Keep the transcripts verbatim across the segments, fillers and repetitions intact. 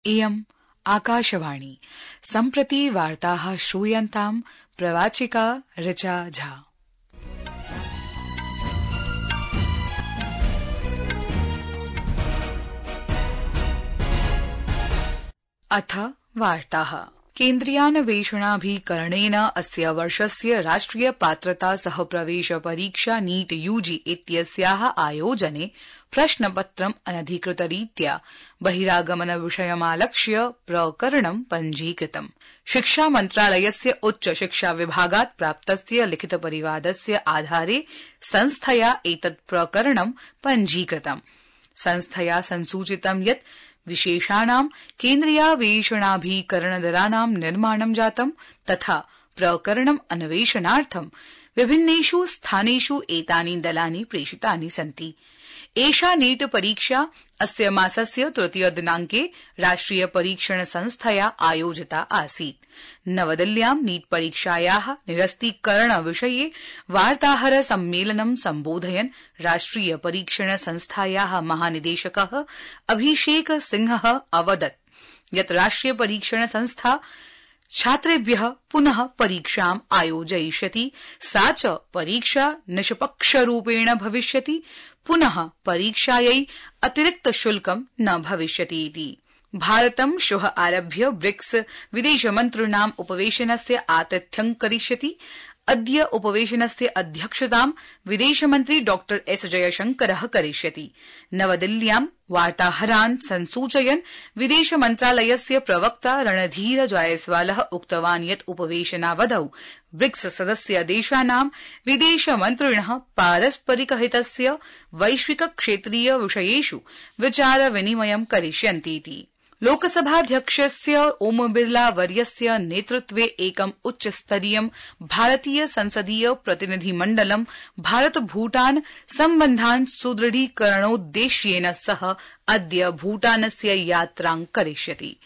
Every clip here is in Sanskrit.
इयम् आकाशवाणी। सम्प्रति वार्ताः श्रूयन्ताम् प्रवाचिका ऋचा झा। अथ वार्ताः। केन्द्रीयान्वेषणाभिकरणेन अस्य वर्षस्य राष्ट्रिय पात्रता सह प्रवेश परीक्षा नीट यूजी इत्यस्याः आयोजने प्रश्नपत्रम् अनधिकृतरीत्या बहिरागमन विषयमालक्ष्य प्रकरणं पञ्जीकृतम्। शिक्षा मन्त्रालयस्य उच्च शिक्षा विभागात् प्राप्तस्य लिखितपरिवादस्य आधारे संस्थया एतत् प्रकरणं पञ्जीकृतम्। संस्थया संसूचितं यत् विशेषाणां केन्द्रीयान्वेषणाभिकरणदलानां निर्माणं जातं तथा प्रकरणम् अन्वेषणार्थं विभिन्नेषु स्थानेषु एतानि दलानि प्रेषितानि सन्ति। एषा नीट परीक्षा अस्य मासस्य तृतीय दिनांके राष्ट्रिय परीक्षण संस्थया आयोजिता आसीत्। नवदिल्ल्यां नीट परीक्षायाः निरस्तीकरण विषये वार्ताहर सम्मेलनं सम्बोधयन् राष्ट्रिय परीक्षण संस्थायाः महानिदेशकः अभिषेक सिंहः अवदत् यत् राष्ट्रिय परीक्षण संस्था छात्रेभ्यः पुनः परीक्षाम् आयोजयिष्यति, सा च परीक्षा निष्पक्षरूपेण भविष्यति, पुनः परीक्षायै अतिरिक्त शुल्कं न भविष्यति इति। भारतं श्वः आरभ्य ब्रिक्स विदेशमन्त्रिणाम् उपवेशनस्य आतिथ्यं करिष्यति। अद्य उपवेशनस्य अध्यक्षतां विदेशमन्त्री डॉ एस जयशंकरः करिष्यति। नवदिल्ल्यां वार्ताहरान् संसूचयन् विदेशमन्त्रालयस्य प्रवक्ता रणधीर जायसवालः उक्तवान् यत् उपवेशनावधौ ब्रिक्स सदस्य देशानां विदेशमन्त्रिणः पारस्परिकहितस्य वैश्विक क्षेत्रीय विषयेषु विचार विनिमयं करिष्यन्तीति। लोकसभाध्यक्षस्य ओम बिरला वर्यस्य नेतृत्वे एकम् उच्चस्तरीयं भारतीय संसदीय प्रतिनिधिमण्डलं भारत भूटान सम्बन्धान् सुदृढीकरणोद्देश्येन सह अद्य भूटानस्य यात्रां करिष्यति।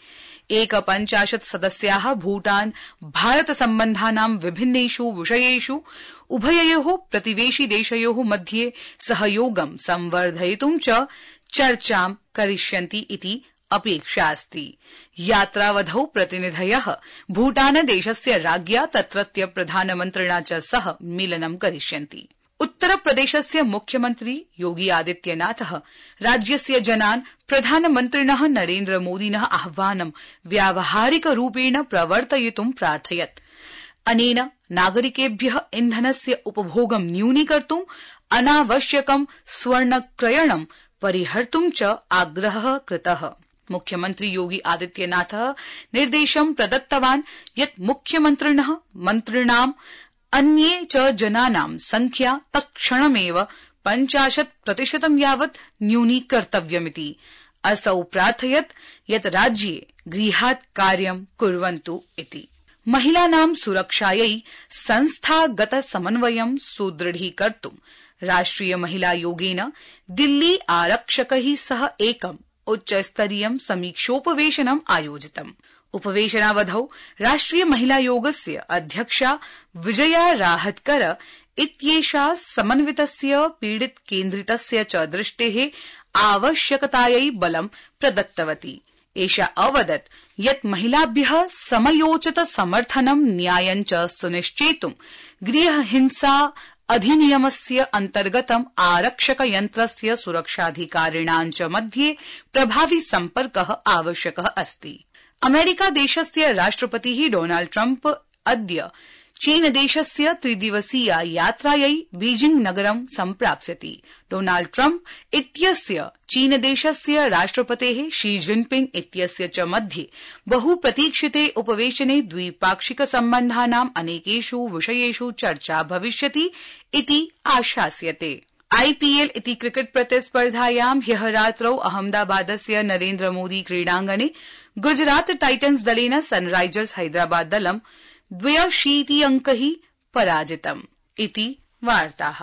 एकपञ्चाशत् सदस्याः भूटान भारत सम्बन्धानां विभिन्नेषु विषयेषु उभययोः प्रतिवेशि देशयोः मध्ये सहयोगं संवर्धयितुं च चर्चां करिष्यन्ति इति अपेक्षा अस्ति। यात्रावधौ प्रतिनिधयः भूटानदेशस्य राज्ञा तत्रत्य प्रधानमन्त्रिणा च सह मेलनं करिष्यन्ति। उत्तरप्रदेशस्य मुख्यमन्त्री योगी आदित्यनाथः राज्यस्य जनान् प्रधानमन्त्रिणः नरेन्द्र मोदिनः आह्वानं व्यावहारिकरूपेण प्रवर्तयितुं प्रार्थयत्। अनेन नागरिकेभ्यः इन्धनस्य उपभोगं न्यूनीकर्तुं अनावश्यकं स्वर्णक्रयणं परिहर्तुं च आग्रहः कृतः। मुख्यमन्त्री योगी आदित्यनाथः निर्देशं प्रदत्तवान् यत् मुख्यमन्त्रिणः मन्त्रिणाम् अन्ये च जनानां संख्या तत्क्षणमेव पञ्चाशत् प्रतिशतं यावत् न्यूनीकर्तव्यमिति। असौ प्रार्थयत् यत् राज्ये गृहात् कार्यं कुर्वन्तु इति। महिलानां सुरक्षायै संस्थागत समन्वयं सुदृढीकर्तुं राष्ट्रिय महिलायोगेन दिल्ली आरक्षकैः सह एकम् उच्चस्तरीयं समीक्षोपवेशनम् आयोजितम्। उपवेशनावधौ राष्ट्रिय महिलायोगस्य अध्यक्षा विजया राहतकर इत्येषा समन्वितस्य पीडित केन्द्रितस्य च दृष्टेः आवश्यकतायै बलं प्रदत्तवती। एषा अवदत् यत् महिलाभ्यः समयोचित समर्थनं न्यायं च सुनिश्चेतुं गृहहिंसा अधिनियमस्य अन्तर्गतम् आरक्षकयन्त्रस्य सुरक्षाधिकारिणां च मध्ये प्रभावी सम्पर्कः आवश्यकः अस्ति। अमेरिकादेशस्य राष्ट्रपतिः डोनाल्ड ट्रम्प अद्य चीनदेशस्य त्रिदिवसीय यात्रायै बीजिंग नगरं सम्प्राप्स्यति। डोनाल्ड ट्रम्प इत्यस्य चीनदेशस्य राष्ट्रपतेः शी जिनपिंग इत्यस्य च मध्ये बहुप्रतीक्षिते उपवेशने द्विपाक्षिक सम्बन्धानां अनेकेषु विषयेषु चर्चा भविष्यति इति आशास्यते। आईपीएल इति क्रिकेट प्रतिस्पर्धायां ह्यः रात्रौ अहमदाबादस्य नरेन्द्र मोदी क्रीडाङ्गणे गुजरात टाइटन्स दलेन सनराइजर्स हैदराबाद दलं द्व्यशीति अंकैः पराजितम् इति वार्ताः।